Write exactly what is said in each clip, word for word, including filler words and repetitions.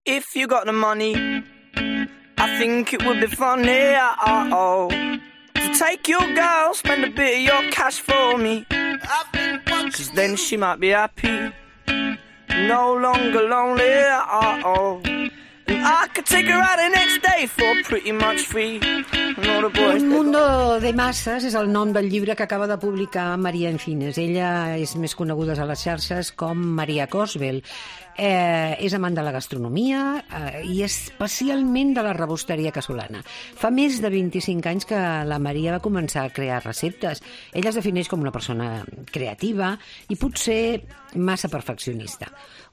If you got the money, I think it would be funny, oh, to take your girl, spend a bit of your cash for me. Cause then she might be happy, no longer lonely, oh, and I could take her out the next day for pretty much free. Un mundo de masses és el nom del llibre que acaba de publicar Maria Encines. Ella és més coneguda a les xarxes com Maria Cosbel. Eh, és amant de la gastronomia eh, i especialment de la rebosteria casolana. Fa més de vint-i-cinc anys que la Maria va començar a crear receptes. Ella es defineix com una persona creativa i potser massa perfeccionista.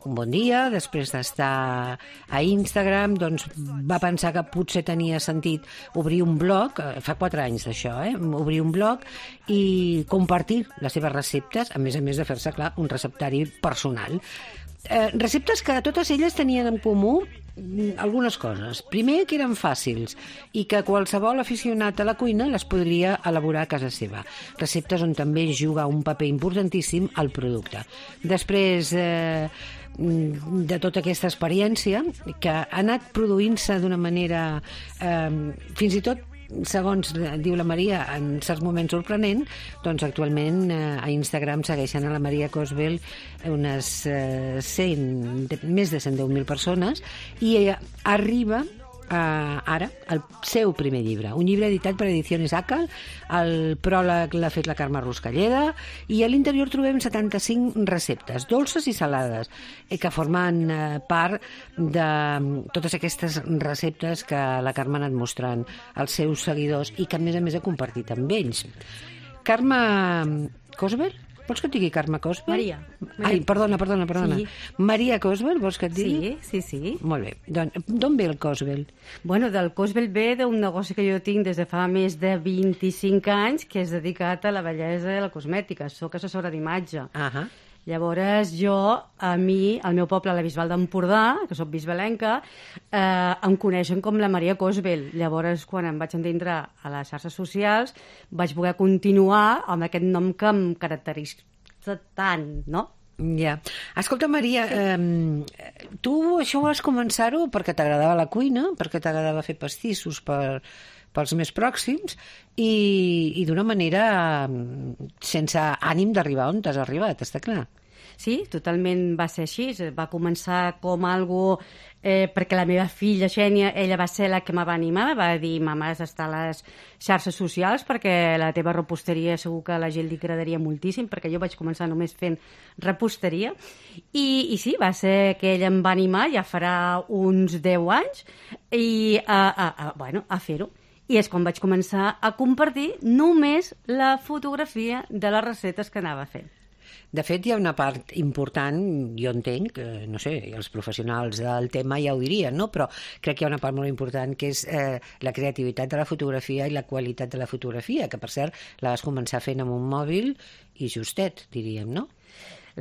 Un bon dia, després d'estar a Instagram, doncs va pensar que potser tenia sentit obrir un blog, fa quatre anys d'això, eh? obrir un blog i compartir les seves receptes, a més a més de fer-se, clar, un receptari personal. Eh, receptes que totes elles tenien en comú algunes coses. Primer, que eren fàcils i que qualsevol aficionat a la cuina les podria elaborar a casa seva. Receptes on també juga un paper importantíssim el producte. Després eh, de tota aquesta experiència, que ha anat produint-se d'una manera eh, fins i tot, segons diu la Maria, en certs moments sorprenent, doncs actualment eh, a Instagram segueixen a la Maria Cosbel unes eh, cent, més de cent deu mil persones i eh, arriba Uh, ara, el seu primer llibre, un llibre editat per Ediciones Acal. El pròleg l'ha fet la Carme Ruscalleda i a l'interior trobem setanta-cinc receptes, dolces i salades, eh, que formen uh, part de totes aquestes receptes que la Carme ha anat mostrant als seus seguidors i que a més a més ha compartit amb ells. Carme Cosbel? Vols que et digui Carme Cosbel? Maria. Maria. Ai, perdona, perdona, perdona. Sí. Maria Cosbel, vols que et digui? Sí, sí, sí. Molt bé. Doncs, d'on ve el Cosbel? Bueno, del Cosbel ve d'un negoci que jo tinc des de fa més de vint-i-cinc anys, que és dedicat a la bellesa i a la cosmètica. Soc assessora d'imatge. Ahà. Llavors jo, a mi, al meu poble, a la Bisbal d'Empordà, que soc bisbalenca, eh, em coneixen com la Maria Cosbel. Llavors, quan em vaig entendre a les xarxes socials, vaig poder continuar amb aquest nom que em caracteritza tant, no? Ja. Escolta, Maria, eh, tu això vas començar-ho perquè t'agradava la cuina, perquè t'agradava fer pastissos per... pels més pròxims i, i d'una manera sense ànim d'arribar on t'has arribat, està clar. Sí, totalment va ser així. Va començar com algo eh, perquè la meva filla, Xènia, ella va ser la que me va animar, va dir, mama, has d'estar a les xarxes socials perquè la teva reposteria segur que a la gent li agradaria moltíssim, perquè jo vaig començar només fent reposteria. I, i sí, va ser que ella em va animar, ja farà uns deu anys, i a, a, a, bueno, a fer-ho. I és quan vaig començar a compartir només la fotografia de les receptes que anava fent. De fet, hi ha una part important, jo entenc, eh, no sé, els professionals del tema ja ho dirien, no? Però crec que hi ha una part molt important que és eh, la creativitat de la fotografia i la qualitat de la fotografia, que per cert la vas començar fent amb un mòbil i justet, diríem, no?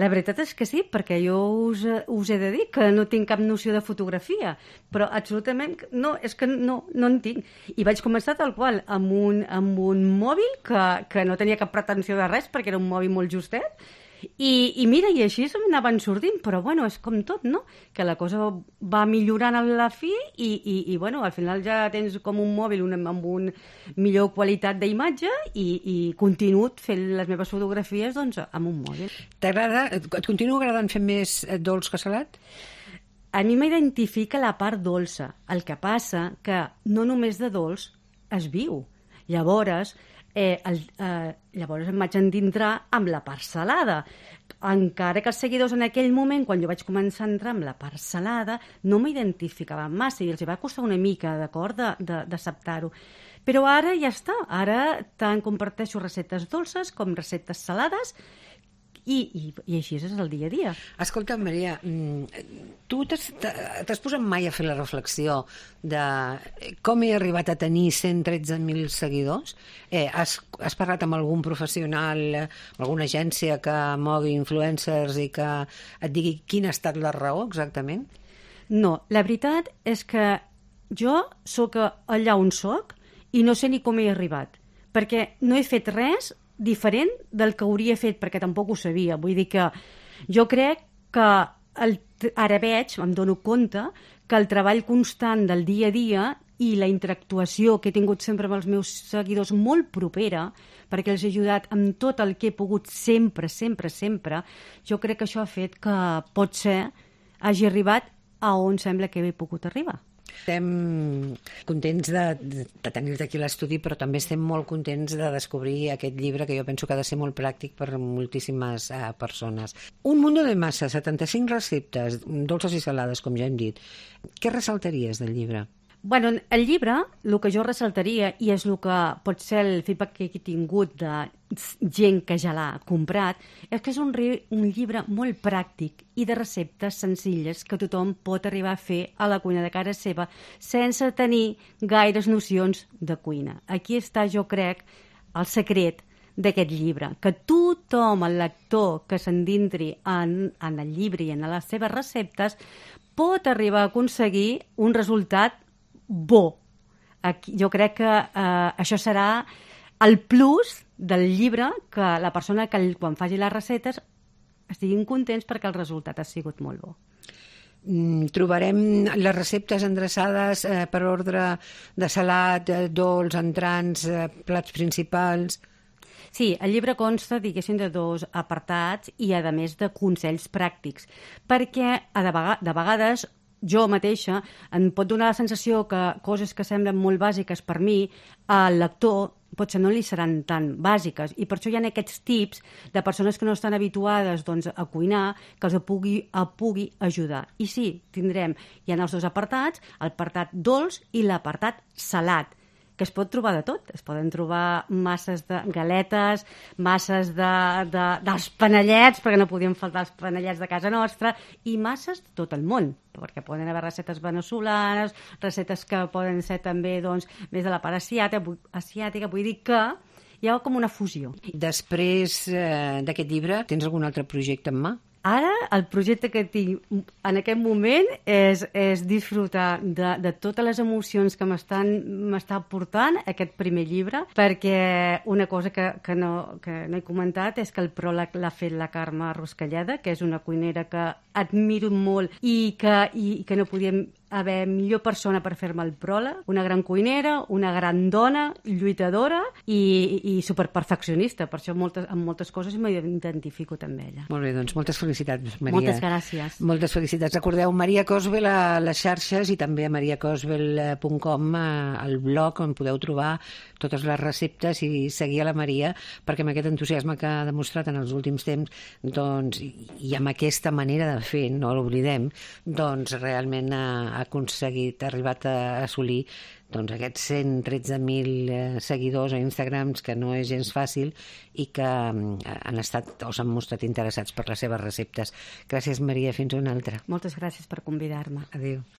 La veritat és que sí, perquè jo us, us he de dir que no tinc cap noció de fotografia, però absolutament no, és que no, no en tinc. I vaig començar tal qual, amb un, amb un mòbil que, que no tenia cap pretensió de res, perquè era un mòbil molt justet, I, i mira, i així m'anaven sortint, però bueno, és com tot, no? Que la cosa va millorant a la fi i, i, i bueno, al final ja tens com un mòbil un, amb una millor qualitat d'imatge i, i continuo fent les meves fotografies doncs, amb un mòbil. T'agrada, et continua agradant fer més dolç que salat? A mi m'identifica la part dolça. El que passa que no només de dolç es viu. Llavors, eh, el, eh, llavors em vaig endintrar amb la part salada. Encara que els seguidors en aquell moment, quan jo vaig començar a entrar amb la part salada, no m'identificaven massa i els va costar una mica, d'acord, d'acceptar-ho. Però ara ja està. Ara tant comparteixo receptes dolces com receptes salades I, i, i així és el dia a dia. Escolta, Maria, tu t'has posat mai a fer la reflexió de com he arribat a tenir cent tretze mil seguidors? Eh, has, has parlat amb algun professional, alguna agència que mogui influencers i que et digui quina ha estat la raó exactament? No, la veritat és que jo sóc allà on sóc i no sé ni com he arribat, perquè no he fet res diferent del que hauria fet, perquè tampoc ho sabia. Vull dir que jo crec que el, ara veig, em dono compte, que el treball constant del dia a dia i la interactuació que he tingut sempre amb els meus seguidors molt propera, perquè els he ajudat amb tot el que he pogut sempre, sempre, sempre, jo crec que això ha fet que potser hagi arribat a on sembla que he pogut arribar. Estem contents de, de tenir-te aquí a l'estudi, però també estem molt contents de descobrir aquest llibre que jo penso que ha de ser molt pràctic per moltíssimes uh, persones. Un mundo de massa, setanta-cinc receptes, dolces i salades, com ja hem dit. Què ressaltaries del llibre? Bueno, el llibre, el que jo ressaltaria, i és el que pot ser el feedback que he tingut de gent que ja l'ha comprat, és que és un, un llibre molt pràctic i de receptes senzilles que tothom pot arribar a fer a la cuina de casa seva sense tenir gaires nocions de cuina. Aquí està, jo crec, el secret d'aquest llibre, que tothom, el lector que s'endintri en, en el llibre i en les seves receptes, pot arribar a aconseguir un resultat bo. Aquí, jo crec que eh, això serà el plus del llibre, que la persona que quan faci les receptes estiguin contents perquè el resultat ha sigut molt bo. Mm, trobarem les receptes endreçades eh, per ordre de salat, eh, dolç, entrants, eh, plats principals. Sí, el llibre consta, diguéssim, de dos apartats i, a més, de consells pràctics, perquè a de, vega de vegades jo mateixa em pot donar la sensació que coses que semblen molt bàsiques per mi, al lector potser no li seran tan bàsiques, i per això hi ha aquests tips de persones que no estan habituades doncs, a cuinar, que els pugui, a pugui ajudar. I sí, tindrem, hi ha els dos apartats, l'apartat dolç i l'apartat salat, que es pot trobar de tot. Es poden trobar masses de galetes, masses de, de, dels panellets, perquè no podien faltar els panellets de casa nostra, i masses de tot el món, perquè poden haver receptes venezolanes, receptes que poden ser també doncs, més de la part asiàtica, asiàtica, vull dir que hi ha com una fusió. Després eh, d'aquest llibre, tens algun altre projecte en mà? Ara, el projecte que tinc en aquest moment és, és disfrutar de, de totes les emocions que m'està portant aquest primer llibre, perquè una cosa que, que, no, que no he comentat és que el pròleg l'ha fet la Carme Ruscalleda, que és una cuinera que admiro molt i que, i, que no podíem haver millor persona per fer-me el pròleg, una gran cuinera, una gran dona, lluitadora i, i superperfeccionista, per això moltes, en moltes coses m'identifico també ella. Molt bé, doncs moltes felicitats, Maria. Moltes gràcies. Moltes felicitats. Recordeu, Maria Cosvel a les xarxes i també a maria cosvel punt com, al blog, on podeu trobar totes les receptes i seguir a la Maria, perquè amb aquest entusiasme que ha demostrat en els últims temps, doncs, i amb aquesta manera de fer, no l'oblidem, doncs realment ha aconseguit, ha arribat a assolir doncs, aquests cent tretze mil seguidors a Instagram, que no és gens fàcil i que han estat o s'han mostrat interessats per les seves receptes. Gràcies, Maria. Fins una altra. Moltes gràcies per convidar-me. Adéu.